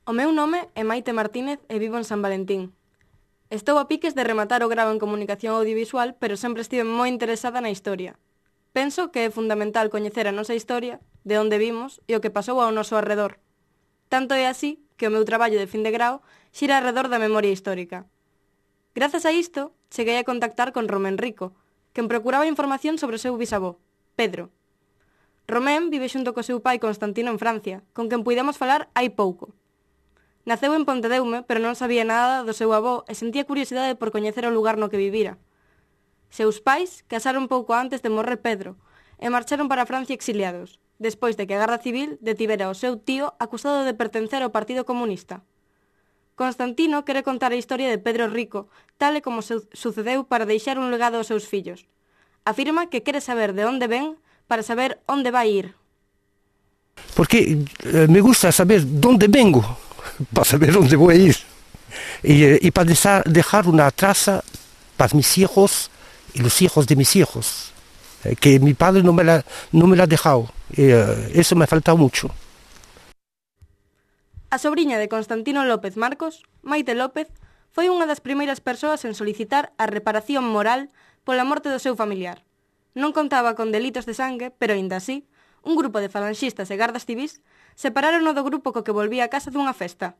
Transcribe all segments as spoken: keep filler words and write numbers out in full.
O meu nome é Maite Martínez e vivo en San Valentín. Estou a piques de rematar o grao en comunicación audiovisual, pero sempre estive moi interesada na historia. Penso que é fundamental coñecer a nosa historia, de onde vimos e o que pasou ao noso arredor. Tanto é así que o meu traballo de fin de grao xira arredor da memoria histórica. Grazas a isto, cheguei a contactar con Romén Rico, quen procuraba información sobre o seu bisavó, Pedro. Romén vive xunto co seu pai Constantino en Francia, con quen puidemos falar hai pouco. Naceu en Pontedeume, pero non sabía nada do seu avó e sentía curiosidade por coñecer o lugar no que vivira. Seus pais casaron pouco antes de morrer Pedro e marcharon para Francia exiliados, despois de que a Garda Civil detivera o seu tío acusado de pertencer ao Partido Comunista. Constantino quere contar a historia de Pedro Rico, tal e como su- sucedeu para deixar un legado aos seus fillos. Afirma que quere saber de onde ven para saber onde vai ir. Porque eh, me gusta saber dónde vengo, para saber dónde voy a ir. Y, eh, y para desa- dejar una traza para mis hijos y los hijos de mis hijos, eh, que mi padre no me la, no me la ha dejado. Y, eh, eso me ha faltado mucho. A sobriña de Constantino López Marcos, Maite López, foi unha das primeiras persoas en solicitar a reparación moral pola morte do seu familiar. Non contaba con delitos de sangue, pero aínda así, un grupo de falanxistas e gardas civís separaron do grupo co que volvía a casa dunha festa.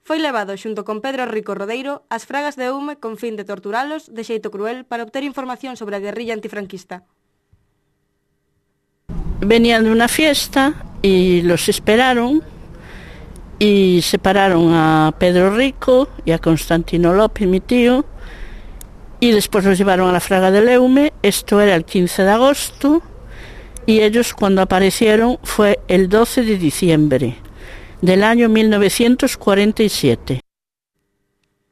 Foi levado xunto con Pedro Rico Rodeiro ás fragas de Eume con fin de torturalos de xeito cruel para obter información sobre a guerrilla antifranquista. Venían de una fiesta y los esperaron y separaron a Pedro Rico y a Constantino López, mi tío, y después los llevaron a la fraga del Eume. Esto era el quince de agosto y ellos cuando aparecieron fue el doce de diciembre del año mil novecientos cuarenta y siete.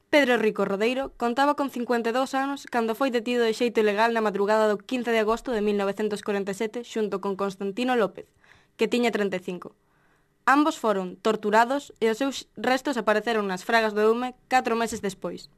Pedro Rico Rodeiro contaba con cincuenta e dous anos cando foi detido de xeito ilegal na madrugada do quince de agosto de mil novecientos cuarenta e sete xunto con Constantino López, que tiña trinta e cinco. Ambos foron torturados e os seus restos apareceron nas fragas do Eume catro meses despois.